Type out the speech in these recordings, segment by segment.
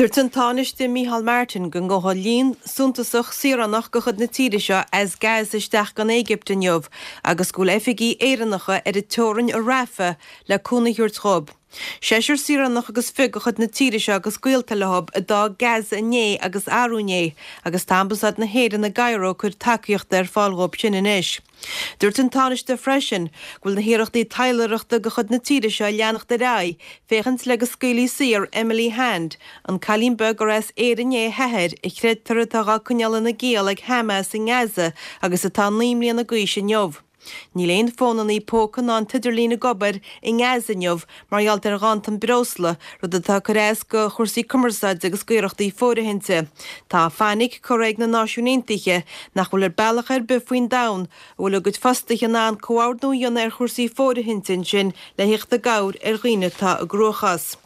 Dúirt an Tánaiste Micheál Martin go ngabhfaidh líon suntasach saoránach de chuid na tíre seo as Gaza isteach go an Éigipt inniu agus go bhfuil oifigigh Éireannacha ar an teorainn i Rafah le cúnamh a thabhairt dhóibh. Seisear saoránach agus fiche de chuid na tíre seo agus gaolta leo a d'fhág Gaza inné agus arú inné agus tá Ambasáid na hÉireann i gCairo ag cur tacaíochta ar fáil dhóibh sin anois. Dúirt an Tánaiste freisin go bhfuil na hiarrachtaí taidhleoireachta de chuid na tíre seo ag leanacht ar aghaidh féachaint le go scaoilfí saor Emily Hand, an cailín beag gur as Éirinn é a hathair, a chreidtear atá dhá coinneáil ina giall ag Hamas i nGaza agus atá 9 mbliana d'aois inniu. Níl aon fónannaí póca ná an t-idirlíon ag obair i nGaza inniu mar gheall ar ghanntan breosla, rud atá ag cur as go chúrsaí cumarsáide agus d'iarrachtaí fóirithinte. Tá fainic curtha ag na Náisiúin Aontaithe nach bhfuil ar bealach ar bith faoin domhan a bhfuil a gcuid fostaithe in ann comhordnú a dhéanamh ar chúrsaí fóirithinte ansin le thíocht i gcabhair ar dhaoine atá i gcruachás.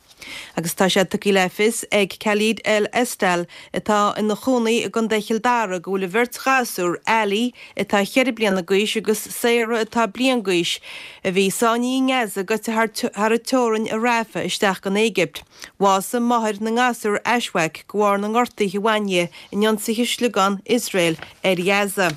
Agus tá sé tugtha le fios ag Khalid El Estal, atá ina chónaí i gContae Chill Dara, go bhfuil a bheirt ghasúr, Ali, atá cheithre bliana d'aois, agus Sarah, atá bliain d'aois, a bhí sáinnithe i nGaza, gaibhte thar an teorainn i Rafah isteach go an Éigipt. Bhásaigh máthair na ngasúr, Ashwaq, de bharr na ngortuithe a bhain di in ionsaithe sliogán Iosrael ar Ghaza.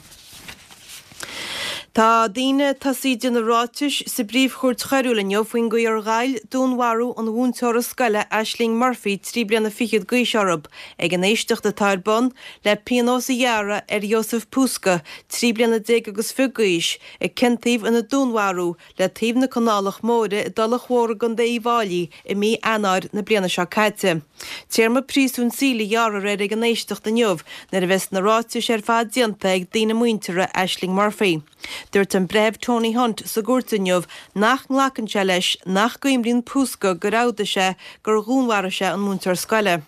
Tá daoine ag tosaí ag déanamh ráitis sa bPríomh-Chúirt Choiriúil inniu faoin gcaoi ar ghoill dúnmharú an mhúinteora scoile Ashling Murphy, 3 bliana fichead d'aois orthu, ag an éisteacht atá ar bun le pionós a ghearradh ar Jozef Puska, 13 bliana agus fiche d'aois, a ciontaíodh ina dúnmharú le taobh na Canálach Móire i dTulach Mhór i gContae Uíbh Fháilí i mí Eanáir na bliana seo caite. Téarma príosúin saoil a ghearrfar air ag an éisteacht inniu nuair a bheas na ráitis ar fad déanta ag daoine muinteartha Ashling Murphy. Dúirt an Breitheamh Tony Hunt sa gcúirt inniu nach nglacann sé leis nach gcuimríonn Puska gur fhódaigh sé gur dhúnmharaigh sé an múinteoir scoile.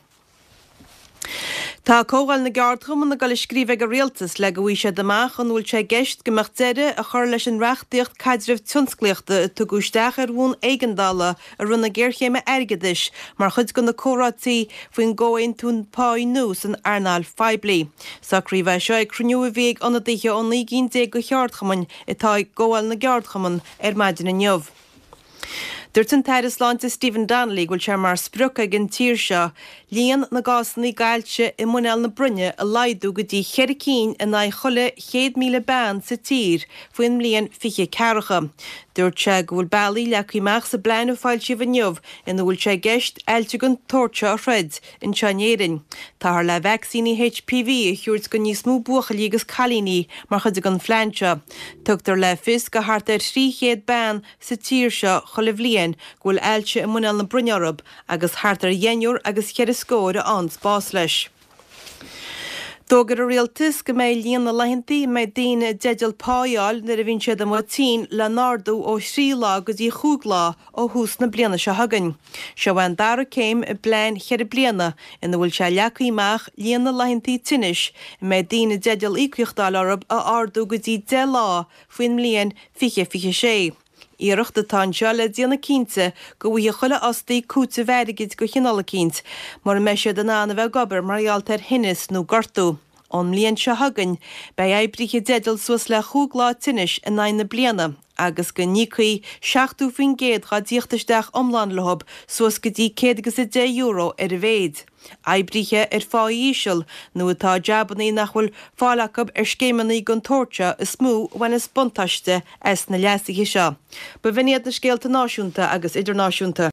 Tá Comhdháil na gCeardchumann ag dul a scríobh ag an Rialtas le go bhfaighidh siad amach an bhfuil sé i gceist go mbeadh deireadh a chur leis an reachtaíocht caidrimh tionsclaíochta a tugadh isteach ar bhonn éigeandála i rith na géarchéime airgeadais mar chuid de na comhráití faoin gcomhaontú páí nua san earnáil phoiblí. Socraíodh é seo ag cruinniú a bhí ag ionadaithe ó 19 gcinn de cheardchumainn atá i gComhdháil na gCeardchumann ar maidin inniu. Dúirt an tAire Sláinte Stephen Donnelly go bhfuil sé mar sprioc ag an tír seo líon na gcásanna d'ailse i muineál na broinne a laghdú go dtí cheithre cinn in aghaidh chuile 100,000 bean sa tír faoin mbliain 2040. Dúirt sé go bhfuil bealaí leagtha amach sa bplean a foilsíodh inniu ina bhfuil sé i gceist ailse den tsórt seo a throid anseo in Éirinn. Táthar le vacsaíní HPV a thabhairt go níos mó buachaillí agus cailíní mar chuid den phlean seo. Tugtar le fios go thart ar 300 bean sa tír seo chuile bhliain go bhfuil ailse i muineál na broinne orthu agus thart ar dheichniúr agus cheithre scór a fhaigheanns bás leis. D'fhógair an Rialtas go mbeidh líon na laethantaí a mbeidh daoine i dteideal pá a fháil nuair a bhíonn siad amuigh tinn le n-ardú ó thrí lá go dtí chúig lá ó thús na bliana seo chugainn. Seo é an dara céim i bplean cheithre bliana ina bhfuil sé leagtha amach líon na laethantaí tinnis a mbeidh daoine i dteideal íocaíocht a fháil orthu a ardú go dtí 10 lá faoin mbliain 2026. Iarracht atá anseo le déanamh cinnte go bhfaighidh chuile fhostaí cúiteamh airgid de chineál eicínt mura mbeidh siad in ann a bheith ag obair mar gheall ar thinneas nó gortú. Ón mbliain seo chugainn, beidh oibrithe i dteideal suas le chúig lá tinnis in aghaidh na bliana agus go n-íocfaí 70% dhá dtíocht isteach iomlán leo suas go dtí €110 ar a mhéid. Oibrithe ar phá íseal nó atá i jabannaí nach bhfuil fáil acu ar scéimeanna den tsórt seo is mó a bhaineas buntáiste as na leasuithe seo. B'in iad na scéalta náisiúnta agus idirnáisiúnta.